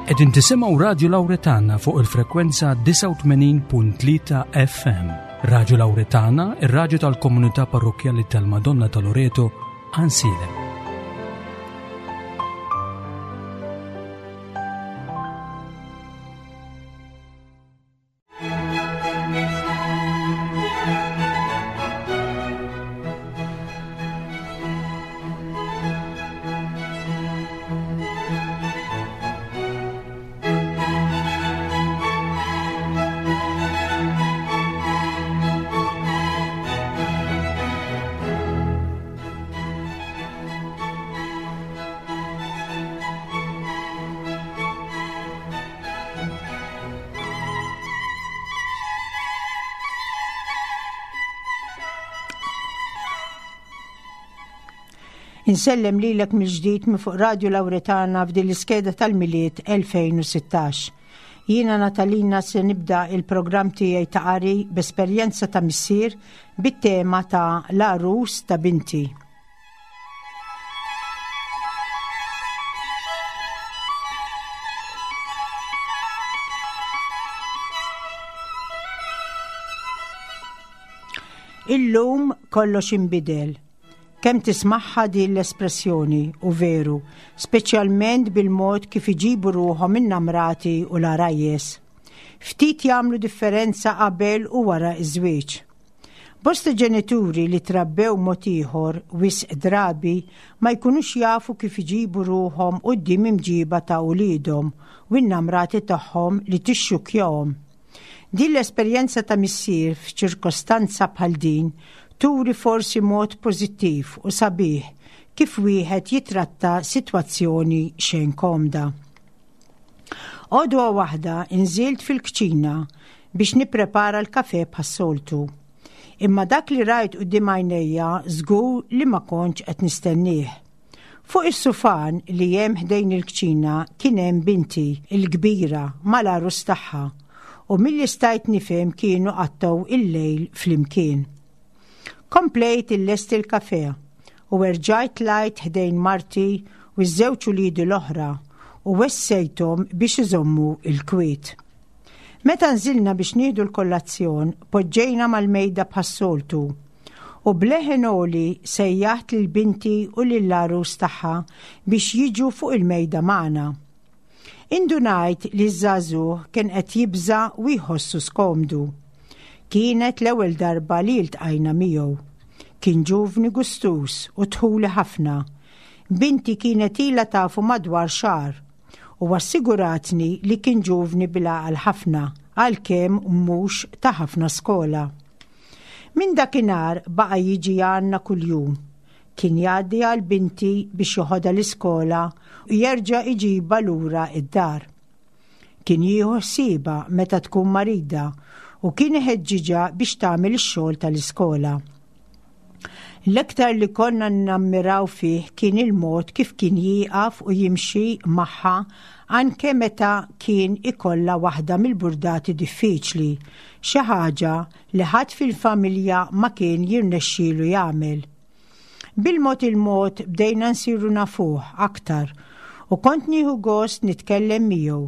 Qegħdin tisimgħu Radju Lawretana fuq il-frekwenza 89.3 FM. Radju Lawretana, ir-radju tal-komunità parrokkjali tal-Madonna ta' Loreto, Ansilem. Insellem lilek mill-ġdid minn fuq Radju Lawretana f'din l-iskeda tal-Milied 2016. Jiena Natalina se nibda il-programm tiegħi ta' qari b'esperjenza ta' missier bit-tema ta' l-għarus ta' binti. Illum kollox inbidel. Kemm tismagħha din l-espressjoni, u veru, speċjalment bil-mod kif iġibu ruħhom in-namrati u l-għarajjes. Ftit jagħmlu differenza qabel u wara ż-żwieġ. Bosta ġenituri li trabbew mod ieħor wisq drabi ma jkunux jafu kif iġibu ruħhom quddiem imġiba ta' uliedhom u n-namrati tagħhom li tixxukkjahom. Din l-esperjenza ta' missier f'ċirkostanza bħal din turi forsi mod pożittiv u sabiħ kif wieħed jitratta sitwazzjoni xejn komda. Għodwa waħda inżilt fil-kċina biex nipprepara l-kafè bħas-soltu. Imma dak li rajt quddiem għajnejja żgur li ma kontx qed nistennieh. Fuq is-sufan li hemm ħdejn il-kċina kien hemm binti, il-kbira, mal-għarus tagħha, u milli stajt nifhem kienu qattgħu il-lejl flimkien. Komplejt illesti l-kafè u erġajt tlajt ħdejn marti u ż-żewġ uliedi l-oħra u wessejthom biex iżommu l-kwiet. Meta nżilna biex nieħdu l-kollazzjon, poġġejna mal-mejda bħas-soltu u b'leħen għoli sejjaħt lil binti u lill-għarus tagħha biex jiġu fuq il-mejda magħna. Indunajt li ż-żagħżugħ kien qed jibża' u jħossu skomdu. Kienet l-ewwel darba li ltqajna miegħu. Kien ġuvni gustuż u dħuli ħafna. Binti kienet ilha tafu madwar xahar u assiguratni li kien ġuvni bil-għaqal ħafna għalkemm mhux ta' ħafna skola. Minn dakinhar baqa' jiġi għandna kuljum. Kien jgħaddi għal binti biex joħodha l-iskola u jerġa' iġibha lura d-dar. Kien jieħu ħsiebha meta tkun marida u kien iħeġġiġha biex tagħmel ix-xogħol tal-iskola. L-iktar li konna nammiraw fih kien il-mod kif kien jieqaf u jimxi magħha anke meta kien ikollha waħda mill-burdati diffiċli, xi ħaġa li ħadd fil-familja ma kien jirnexxielu jagħmel. Bil-mod il-mod bdejna nsiru nafuh aktar u kont nieħu gost nitkellem miegħu.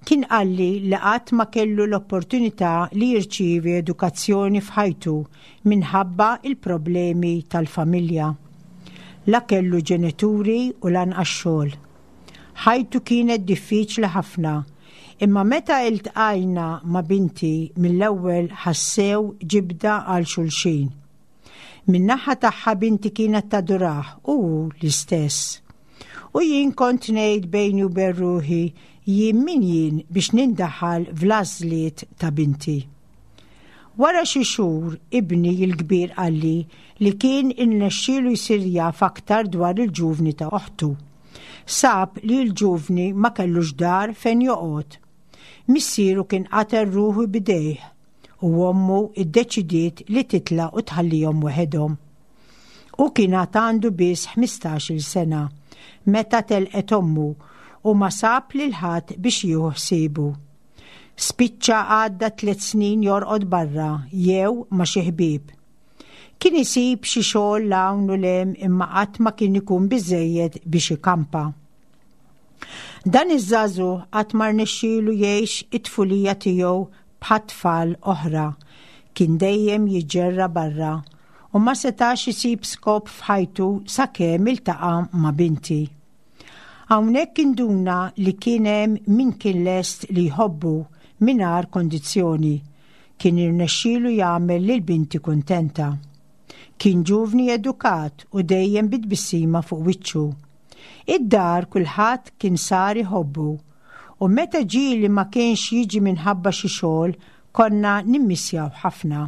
Kien qalli li qatt ma kellu l-opportunità li jirċievi edukazzjoni f'ħajtu minħabba l-problemi tal-familja. La kellu ġenituri u lanqas xogħol. Ħajtu kienet diffiċli ħafna, imma meta iltqajna ma' binti mill-ewwel ħassew ġibda għal xulxin. Min-naħa tagħha binti kienet tadurah u hu l-istess. U jien kont ngħid bejni u bejn ruħi jien min jien biex nindaħal fl-għażliet ta' binti. Wara xi xhur ibni l-kbir qalli li kien irnexxielu jsir jaf aktar dwar il-ġuvni ta' oħtu. Sab li l-ġuvni ma kellux dar fejn joqgħod. Missieru kien qatel ruħu b'idejh u ommu ddeċidiet li titlaq u tħallihom weħedhom. Hu kien għad għandu biss ħmistax-il sena meta telqet ommu u ma sab lil ħadd biex jieħu ħsiebu. Spiċċa għadda tliet snin jorqod barra jew ma' xi ħbieb. Kien isib xi xogħol 'l hawn u 'l hemm imma qatt ma kien ikun biżżejjed biex ikampa. Dan iż-żagħżugħ qatt ma rnexxielu jgħix it-tfulija tiegħu bħat-tfal oħra. Kien dejjem jiġġerra barra u ma setax isib skop f'ħajtu sakemm iltaqa' ma' binti. Hawnhekk induna li kien hemm min kien lest li jħobbu mingħajr kondizzjoni. Kien irnexxielu jagħmel lil binti kuntenta. Kien ġuvni edukat u dejjem bi tbissima fuq wiċċu. Id-dar kulħadd kien sar iħobbu u meta ġieli ma kienx jiġi minħabba xi xogħol konna nimmissjaw ħafna.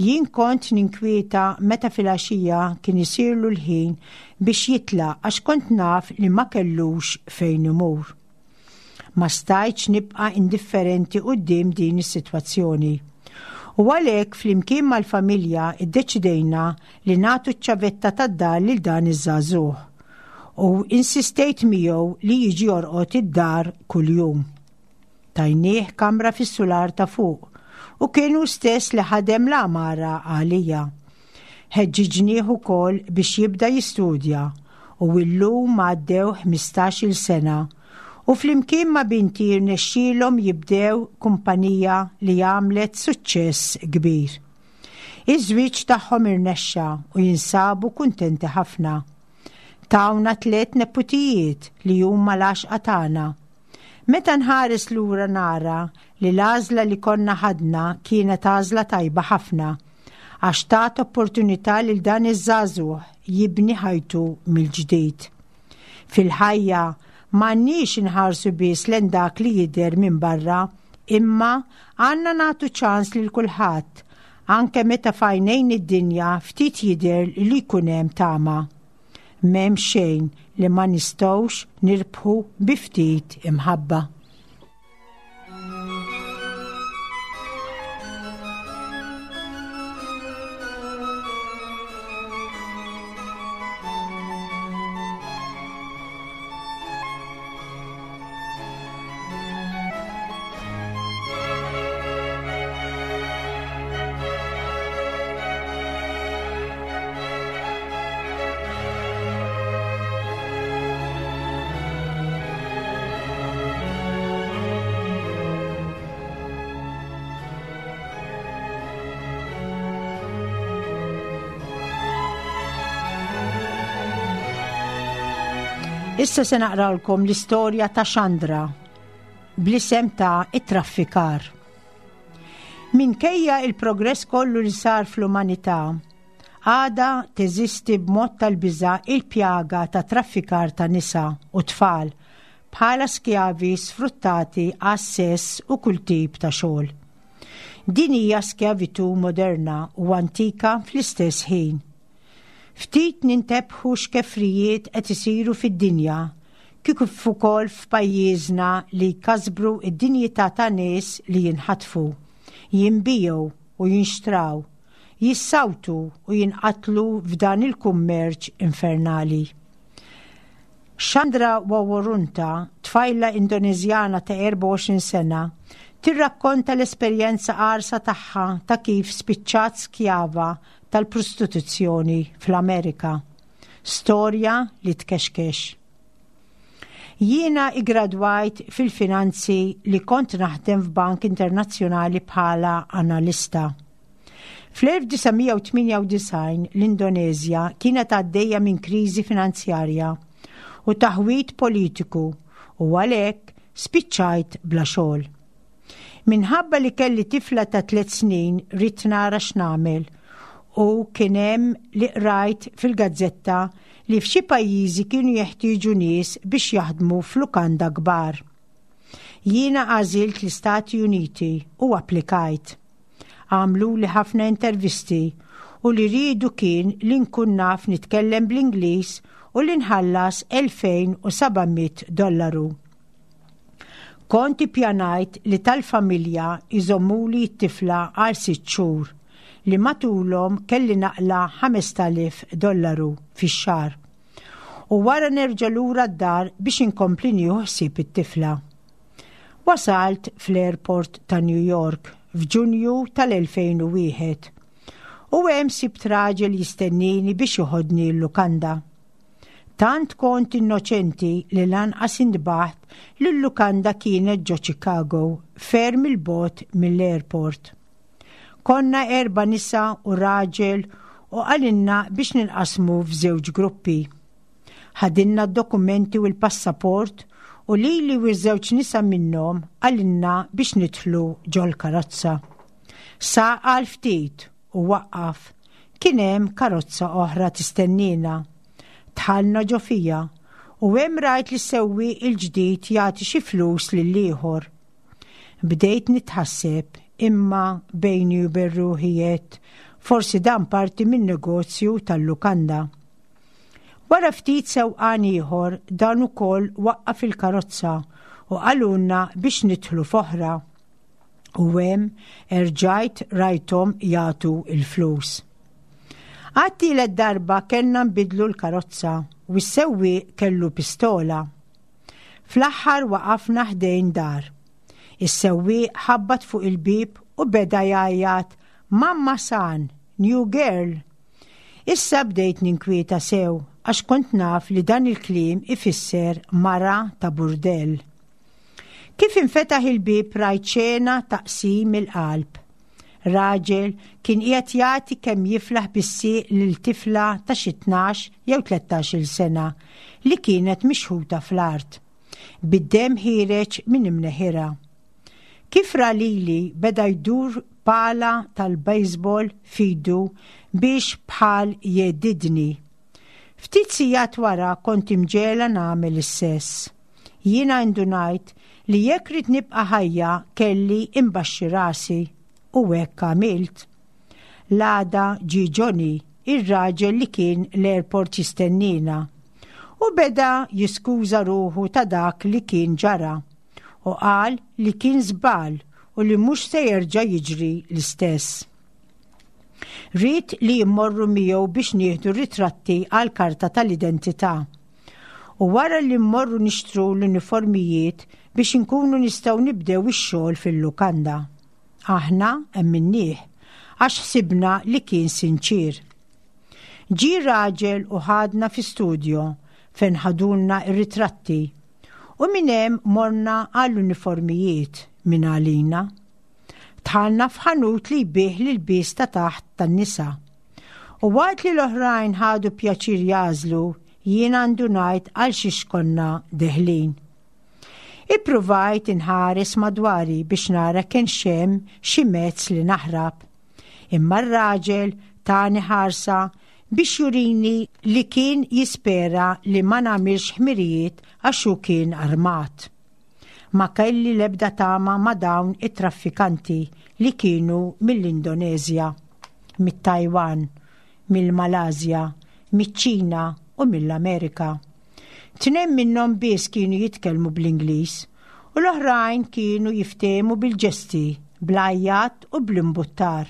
Jien kont ninkwieta meta filgħaxija kien isirlu l-ħin biex jitlaq għax kont naf li ma kellux fejn imur. Ma stajtx nibqa' indifferenti quddiem din is-sitwazzjoni. U għalhekk flimkien mal-familja ddeċidejna li nagħtu ċ-ċavetta tad-dar lil dan iż-żagħżugħ. U insistejt miegħu li jiġi jorqod id-dar kuljum. Tajnieh kamra fis-sular ta' fuq u kien hu stess li ħadem l-għamara għalija. Ħeġġiġnieh ukoll biex jibda jistudja u illum għaddew 15-il sena u flimkien ma' binti rnexxielhom jibdew kumpanija li għamlet suċċess kbir. Iż-żwieġ tagħhom irnexxa u jinsabu kuntenti ħafna. Tawna tliet neputijiet li huma l-għaxqa tagħna. Meta nħares lura nara li l-għażla li konna ħadna kienet għażla tajba ħafna għax tat opportunità lil dan iż-żagħżugħ jibni ħajtu mill-ġdid. Fil-ħajja m'għandniex inħarsu biss lejn dak li jidher minn barra, imma għandna nagħtu ċans lil kulħadd, anke meta f'għajnejn id-dinja ftit jidher li jkun hemm tama. M'hemm xejn li ma nistgħux nirbħu bi ftit imħabba. Issa se naqralkom l-istorja ta' Chandra bl-isem ta' it-traffikar. Minkejja il-progress kollu li sar fl-umanità, għadha teżisti b'mod tal-biża' il-pjaga ta' traffikar ta' nisa u tfal bħala skjavi sfruttati għas-sess u kull tip ta' xogħol. Din hija skjavitù moderna u antika fl-istess ħin. Ftit nintebħu x'kefrijiet qed isiru fid-dinja, kif ukoll f'pajjiżna li jkasbru d-dinjità ta' nies li jinħatfu, jinbiegħu u jinxtraw, jissawtu u jinqatlu f'dan il-kummerċ infernali. Chandra Waworunta, tfajla Indoneżjana ta' 24 sena, tirrakkonta l-esperjenza qarsa tagħha ta' kif spiċċat skjava tal-prostituzzjoni fl-Amerika. Storja li tkexkex. Jiena iggradwajt fil-finanzi li kont naħdem f'bank internazzjonali bħala analista. Fl-1998 l-Indoneżja kienet għaddejja minn kriżi finanzjarja u taħwid politiku u għalhekk spiċċajt bla xogħol. Minħabba li kelli tifla ta' tliet snin ridt nara x'nagħmel u kien hemm li qrajt fil-gazzetta li f'xi pajjiżi kienu jeħtieġu nies biex jaħdmu f'lukanda kbar. Jiena għażilt l-Istati Uniti u applikajt. Għamluli ħafna intervisti u li riedu kien li nkun naf nitkellem bl-Ingliż u li nħallas 2700 dollaru. Kont ippjanajt li tal-familja jżommuli t-tifla għal sitt xhur li matulhom kelli naqla' 5000 dollaru fix-xahar u wara nerġa' lura d-dar biex inkompli nieħu ħsieb it-tifla. Wasalt fl-airport ta' New York f'Ġunju tal-2001 u hemm sibt raġel jistennini biex joħodni l-lukanda. Tant kont innoċenti li lanqas intbaħt li l-lukanda kienet ġo Chicago, ferm 'il bogħod mill-airport. Konna erba' nisa u raġel u qalilna biex ninqasmu f'żewġ gruppi. Ħadilna d-dokumenti u l-passaport u lili u ż-żewġ nisa minnhom qalilna biex nidħlu ġol-karozza. Saq għal ftit u waqqaf. Kien hemm karozza oħra tistenniena. Dħalna ġo fiha u hemm rajt lis-sewwieq il-ġdid jagħti xi flus lill-ieħor. Bdejt nitħasseb imma bejni u bejn ruħi għedt forsi dan parti min-negozju tal-lukanda. Wara ftit sewqan ieħor dan ukoll waqqaf il-karozza u qalulna biex nidħlu f'oħra. U hemm erġajt rajthom jagħtu l-flus. Għat-tielet darba kellna nbiddlu l-karozza u s-sewwieq kellu pistola. Fl-aħħar waqafna ħdejn dar. Is-sewwieq ħabbat fuq il-bieb u beda jgħajjat Mamma San, new girl! Issa bdejt ninkwieta sew għax kont naf li dan il-kliem ifisser mara ta' burdell. Kif infetaħ il-bieb rajt xena ta' qsim il-qalb. Raġel kien qiegħed jagħti kemm jiflaħ bis-sieq lil tifla ta' xi 12 jew 13-il sena li kienet mixħuta fl-art, bid-demm ħiereġ minn imneħirha. Kif ra lili beda jdur pala tal-baseball f'idu biex bħal jgħeddidni. Ftit sigħat wara kont imġegħla nagħmel is-sess. Jiena indunajt li jekk ridt nibqa' ħajja kelli imbaxxi rasi u hekk għamilt. L-għada ġie Johnny, ir-raġel li kien l-airport jistenniena, u beda jiskuża ruħu ta' dak li kien ġara u qal li kien żball u li mhux se jerġa' jiġri l-istess. Ried li mmorru miegħu biex nieħdu ritratti għall-karta tal-identità. U wara li mmorru nixtru l-uniformijiet biex inkunu nistgħu nibdew ix-xogħol fil-lukanda. Aħna emminnieh għax ħsibna li kien sinċier. Ġie raġel u ħadna fi studio fejn ħadulna r-ritratti u minn hemm morna għall-uniformijiet minn għalina. Dħalna f'ħanut li jbigħ l-ilbies ta' taħt tan-nisa. U waqt li l-oħrajn ħadu pjaċir jagħżlu, jiena ndunajt għal xiex konna deħlin. Ippruvajt inħares madwari biex nara kienx hemm xi mezz li naħrab. Imma r-raġel tani ħarsa biex jurini li kien jispera li ma nagħmilx ħmirijiet għax hu kien armat. Ma kelli l-ebda tama ma' dawn it-traffikanti li kienu mill-Indoneżja, mit-Tajwan, mill-Malasja, miċ-Ċina u mill-Amerika. Tnejn minnhom biss kienu jitkellmu bl-Ingliż u l-oħrajn kienu jiftehmu bil-ġesti, bl-għajjat u bl-imbuttar.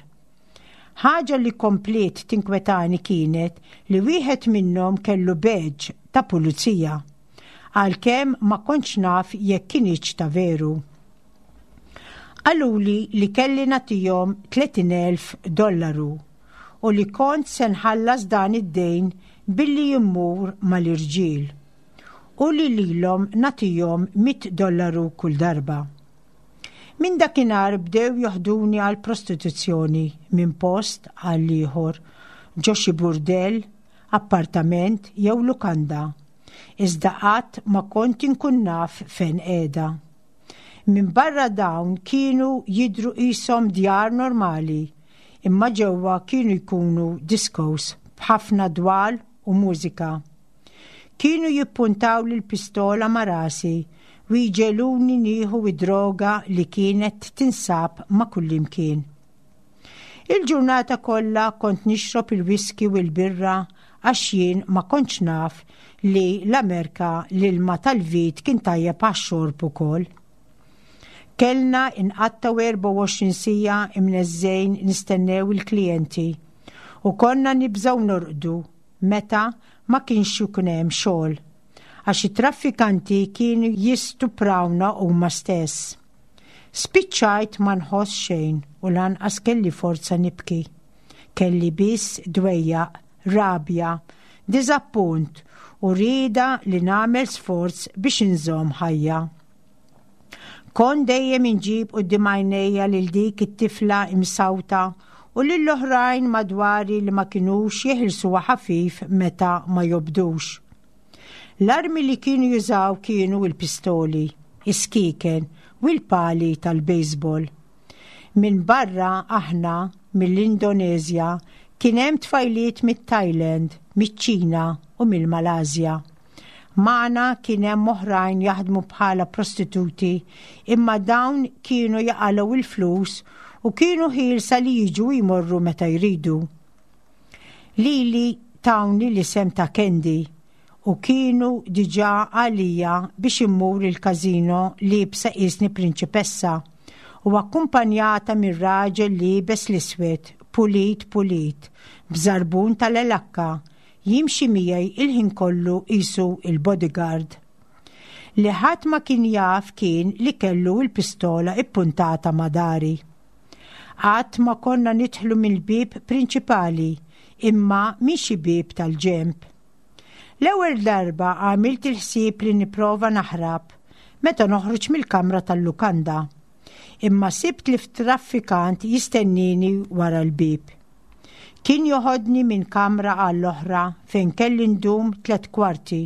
Ħaġa li kompliet tinkwetani kienet li wieħed minnhom kellu badge ta' pulizija, għalkemm ma kontx naf jekk kinitx ta' veru. Qaluli li kelli nagħtihom 30,000 dollaru u li kont se nħallas dan id-dejn billi immur mal-irġiel u li lilhom nagħtihom 100 dollaru kull darba. Minn dakinhar bdew joħduni għall-prostituzzjoni minn post għal ieħor, ġo xi burdell, appartament jew lukanda. Iżda qatt ma kont inkun naf fejn qiegħda. Minn barra dawn kienu jidhru qishom djar normali, imma ġewwa kienu jkunu discos b'ħafna dwal u mużika. Kienu jippuntawli l-pistola ma' rasi u jġegħluni nieħu d-droga li kienet tinsab ma' kullimkien. Il-ġurnata kollha kont nixrob il-whisky u l-birra għax jien ma kontx naf li l-Amerka l-ilma tal-vit kien tajjeb għax-xorb ukoll. Kellna inqattgħu 24 siegħa imneżżgħin nistennew il-klijenti u konna nibżgħu norqdu meta ma kienx ikun hemm xogħol għax it-traffikanti kienu jistuprawna huma stess. Spiċċajt ma nħoss xejn u lanqas kelli forza nibki. Kelli biss dwejjaq, rabja, diżappunt u rieda li nagħmel sforz biex inżomm ħajja. Kont dejjem inġib quddiem għajnejja lil dik it-tifla imsawta u lil oħrajn madwari li ma kinux jeħilsuha ħafif meta ma jobdux. L-armi li kienu jużaw kienu l-pistoli, is-skieken u l-pali tal-baseball. Minbarra aħna mill-Indoneżja kien hemm tfajliet mit-Thailand, miċ-Ċina u mill-Malasja. Magħna kien hemm oħrajn jaħdmu bħala prostituti imma dawn kienu jaqalgħu il-flus u kienu ħielsa li jiġu jmorru meta jridu. Lili tawni l-isem ta' Candy u kienu diġà għalija biex immur il-każino liebsa qisni prinċipessa u akkumpanjata minn raġel liebes l-iswed, pulit pulit, b'żarbun tal-elakka, jimxi miegħi il-ħin kollu qisu il-bodyguard. Li ħadd ma kien jaf kien li kellu l-pistola ippuntata ma' dari. Qatt ma konna nidħlu mill-bieb prinċipali imma minn xi bieb tal-ġenb. L-ewwel darba għamilt il-ħsieb li nipprova naħrab meta noħroġ mill-kamra tal-lukanda. Imma sibt li traffikant jistennini wara l-bieb. Kien joħodni minn kamra għall-oħra fejn kelli ndum tlet kwarti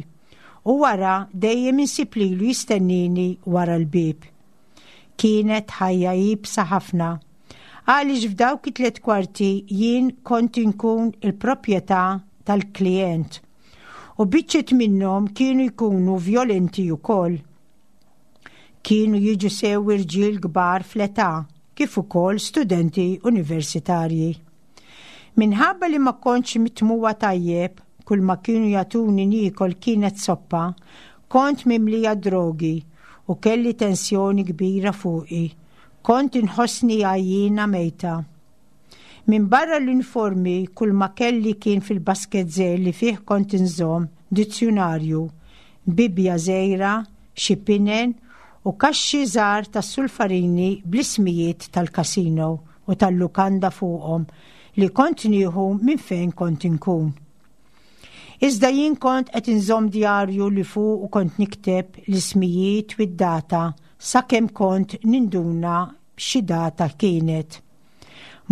u wara dejjem insib lilu jistennini wara l-bieb. Kienet ħajja iebsa ħafna. Għaliex f'dawk it-tlet kwarti jien kont inkun il-proprjetà tal-klijent. U biċċiet minnhom kienu jkunu vjolenti wkoll. Kienu jiġu sew irġiel kbar fl-età kif ukoll studenti universitarji. Minħabba li ma kontx mitmugħa tajjeb, kull ma kienu jagħtuni niekol kienet soppa, kont mimlija drogi u kelli tensjoni kbira fuqi. Kont inħossni għajjiena mejta. Minbarra l-uniformi kull ma kelli kien fil-basket żgħir li fih kont inżomm dizzjunarju, Bibbja żgħira, xi pinen u kaxxi żgħar tas-sulfarini bl-ismijiet tal-casino u tal-lukanda fuqhom li kont nieħu minn fejn kont inkun. Iżda jien kont qed inżomm djarju li fuqu kont nikteb l-ismijiet u d-data sakemm kont ninduna xi data kienet.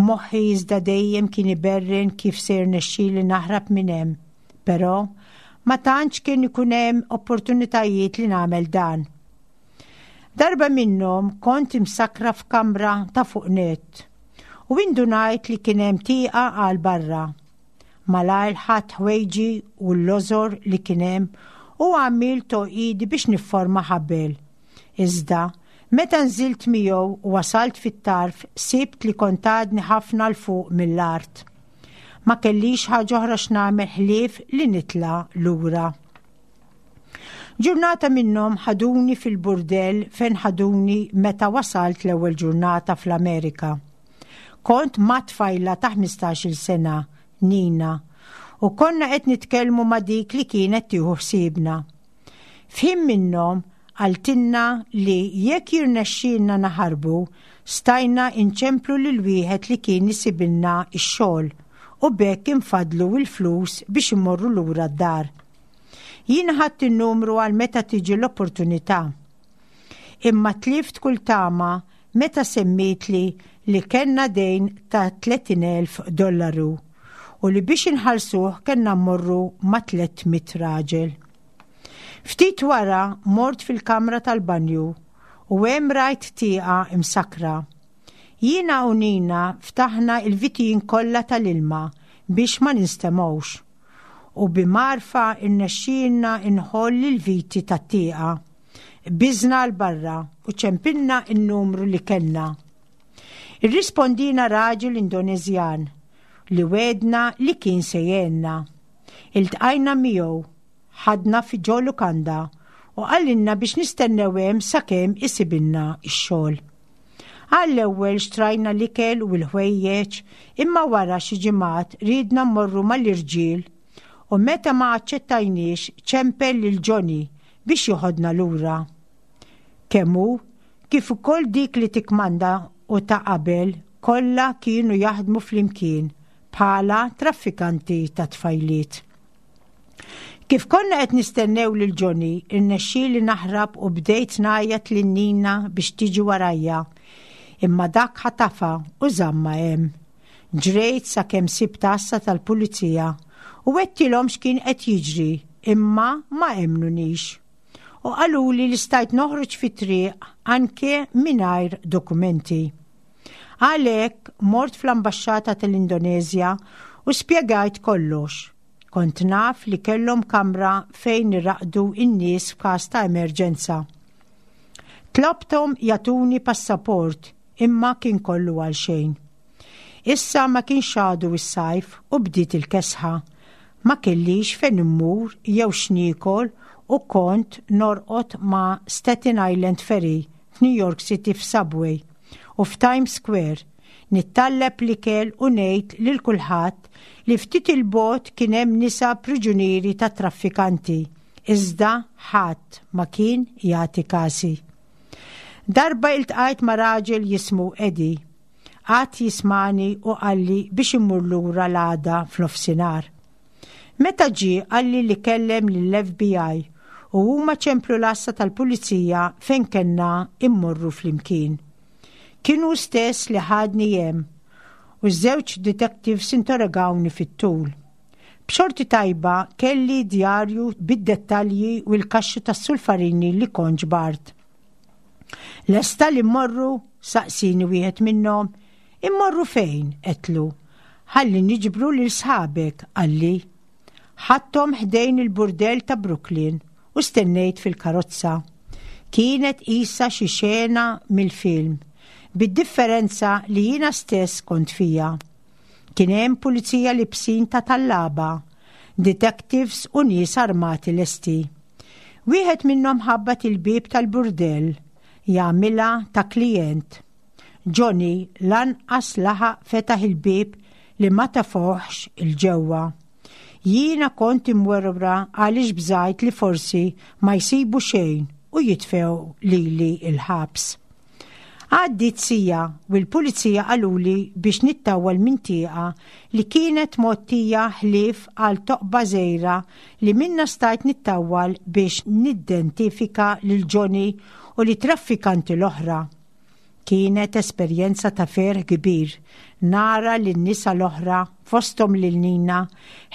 Moħħi iżda dejjem kien iberren kif se jirnexxili naħrab minn hemm, però ma tantx kien ikun hemm opportunitajiet li nagħmel dan. Darba minnhom kont imsakkra f'kamra ta' fuq nett u indunajt li kien hemm tieqa għal barra. Malajr ħadt ħwejġi u l-lożor li kien hemm u għamilt toqidi biex nifforma ħabel. Iżda, meta nżilt miegħu u wasalt fit-tarf sibt li kont għadni ħafna 'l fuq mill-art. Ma kellix ħaġa oħra x'nagħmel ħlief li nitla' lura. Ġurnata minnhom ħaduni fil-burdell fejn ħaduni meta wasalt l-ewwel ġurnata fl-Amerika. Kont ma' tfajla ta' 15-il sena, Nina, u konna qed nitkellmu ma' dik li kienet tieħu ħsiebna. F'ħin minnhom qaltilna li jekk jirnexxielna naħarbu, stajna inċemplu lil wieħed li kien isibilna x-xogħol u b'hekk infaddlu l-flus biex immorru lura d-dar. Jien ħadt in-numru għal meta tiġi l-opportunità. Imma tlift kull tama meta semmietli li kellna dejn ta' 30,000 dollaru u li biex inħallsuh kellna mmorru ma' 300 raġel. Ftit wara mort fil-kamra tal-banju u hemm rajt tieqa imsakkra. Jiena u Nina ftaħna il-vitijin kollha tal-ilma biex ma ninstemgħux u bi mgħarfa rnexxielna nħoll il-viti tat-tieqa. Qbiżna 'l barra u ċempilna n-numru li kellna. Irrispondina raġel Indoneżjan li wegħdna li kien se jgħinna. Iltqajna miegħu, ħadna fi ġo lukanda u qalilna biex nistennew hemm sakemm isibilna x-xogħol. Għall-ewwel xtrajna l-ikel u l-ħwejjeġ imma wara xi ġimgħat riedna mmorru mal-irġiel u meta ma aċċettajniex ċempel lil Johnny biex joħodna lura. Kemm hu, kif ukoll dik li tikkmanda u ta' qabel kollha kienu jaħdmu flimkien bħala traffikanti ta' tfajliet. Kif konna qed nistennew lil Johnny, irnexxieli naħrab u bdejt ngħajjat lil Nina biex tiġi warajja. Imma dak ħatafha u żammha hemm. Ġrejt sakemm sibt għassa tal-pulizija u għedtilhom x'kien qed jiġri imma ma emmnunix. U qaluli li stajt noħroġ fit-triq anke mingħajr dokumenti. Għalhekk mort fl-ambaxxata tal-Indoneżja u spjegajt kollox. Kont naf li kellhom kamra fejn iraqdu n-nies f'każ ta' emerġenza. Tlobthom jagħtuni passaport imma kien kollu għal xejn. Issa ma kienx għadu s-sajf u bdiet il-kesħa. Ma kellix fejn immur jew x'niekol u kont norqod ma' Staten Island Ferry f'New York City f'Subway u f'Times Square nittalleb l-ikel u ngħid lil kulħadd li ftit 'il bogħod kien hemm nisa priġunieri tat-traffikanti, iżda ħadd ma kien jagħti kasi. Darba iltqajt ma' raġel jismu Eddie. Qagħad jismagħni u qalli biex immur lura l-għada f'nofsinhar. Meta ġie qalli li kellem lill-FBI u huma ċemplu l-għassa tal-pulizija fejn kellna immorru flimkien. Kien hu stess li ħadni hemm u ż-żewġ detectives interrogawni fit-tul. B'xorti tajba kelli djarju bid-dettalji u l-kaxxi tas-sulfarini li kont ġbart. Lesta li mmorru? saqsini wieħed minnhom. Immorru fejn? għedtlu. Ħalli niġbru lil sħabek, qalli. Ħadthom ħdejn il-burdell ta' Brooklyn u stennejt fil-karozza. Kienet qisha xi xena mill-film, bid-differenza li jiena stess kont fiha. Kien hemm pulizija libsin ta' tallaba, detectives u nies armati lesti. Wieħed minnhom ħabbat il-bieb tal-burdell jagħmilha ta' klijent. Johnny lanqas laħaq fetaħ il-bieb li ma tefgħuhx 'il ġewwa. Jiena kont imwerwra għaliex bżajt li forsi ma jsibu xejn u jitfgħu lili l-ħabs. Għaddiet siegħa u l-pulizija qaluli biex nittawwal minn tieqa li kienet mgħottija ħlief għal toqba żgħira li minnha stajt nittawwal biex niddentifika lil Johnny u lit-traffikanti l-oħra. Kienet esperjenza ta' ferħ kbir nara lin-nisa l-oħra, fosthom lil Nina,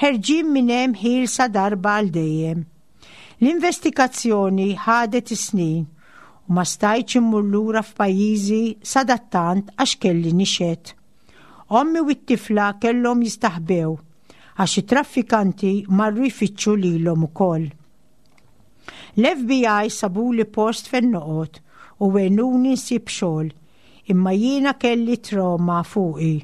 ħerġin minn hemm ħielsa darba għal dejjem. L-investigazzjoni ħadet is-snin u ma stajtx immur lura f'pajjiżi sadattant għax kelli nixhed. Ommi u t-tifla kellhom jistaħbew għax it-traffikanti marru jfittxu lilhom ukoll. L-FBI sabuli post fejn noqgħod u għenuni nsib xogħol Imma jiena kelli trauma fuqi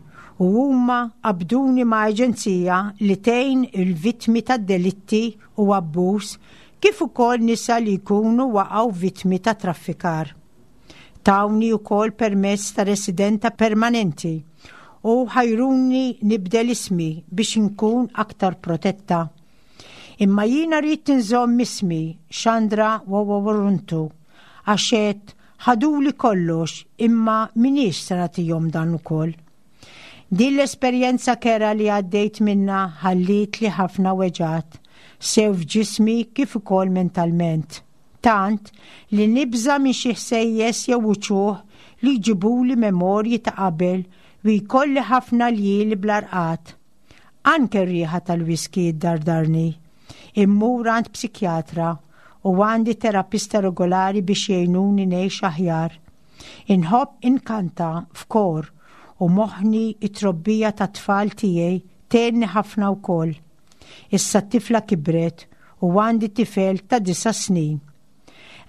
u huma qabduni ma' aġenzija li tgħin il-vittmi ta' delitti u abbuż kif ukoll nisa li jkunu waqgħu vittmi ta' traffikar. Tawni wkoll permess ta' residenta permanenti u ħajruni nibdel ismi biex inkun aktar protetta. Imma jiena ridt inżomm ismi Chandra Woworuntu għax għedt ħaduli kollox imma m'iniex se nagħtihom dan ukoll. Din l-esperjenza kerha li għaddejt minnha ħallietli ħafna weġgħat, sew f'ġismi kif ukoll mentalment. Tant li nibża' minn xi ħsejjes jew uċuħ li jġibuli memorji ta' qabel u jkolli ħafna ljieli bla rqad. Anke r-riħa tal-whisky ddardarni. Immur għand psikjatra u għandi terapista regolari biex jgħinuni ngħix aħjar. Inħobb inkanta f'kor u moħħni t-trobbija tat-tfal tiegħi tgħinni ħafna wkoll. Issa t-tifla kibret u għandi tifel ta' disa' snin.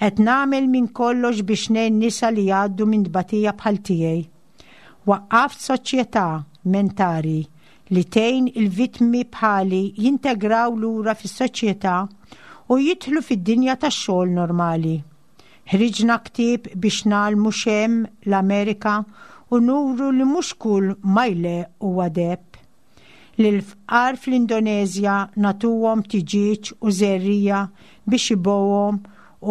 Qed nagħmel minn kollox biex ngħin nisa li jgħaddu minn tbatija bħal tiegħi. Waqqaft soċjetà mentari li tgħin il-vittmi bħali jintegraw lura fis-soċjetà u jidħlu fid-dinja tax-xogħol normali. Ħriġna ktieb biex ngħallmu x'hemm l-Amerika u nuru li mhux kull ma jleqq huwa deheb. Lill-fqar fl-Indoneżja nagħtuhom tiġieġ u żerriegħa biex ibigħuhom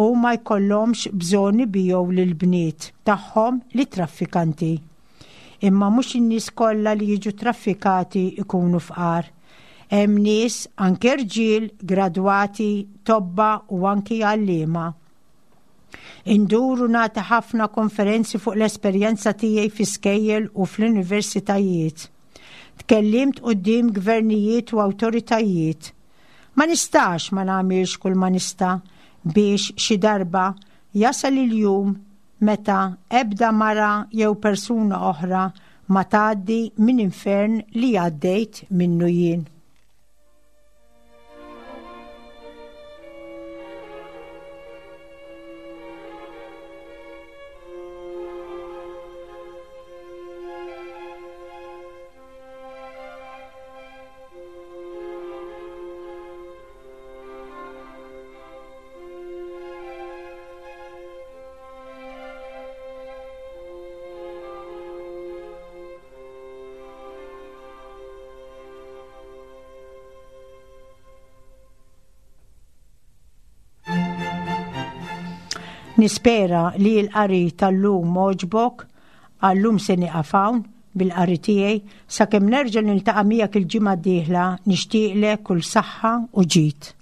u ma jkollhomx bżonn ibigħu lill-bniet tagħhom lit-traffikanti. Imma mhux in-nies kollha li jiġu traffikati jkunu fqar. Hemm nies, anke rġiel, gradwati, tobba u anki għalliema. Indur u nagħti ħafna konferenzi fuq l-esperjenza tiegħi fi skejjel u fl-universitajiet. Tkellimt quddiem gvernijiet u awtoritajiet. Ma nistax ma nagħmilx kull ma nista' biex xi darba jasal il-jum meta ebda mara jew persuna oħra ma tgħaddi minn infern li għaddejt minnu jien. Nispera li l-qari tal-lum għoġbok, għallum se nieqaf hawn bil-qari tiegħi sakemm nerġa' niltaqa' miegħek il-ġimgħa d-dieħla nixtieqlek kull saħħa u ġid.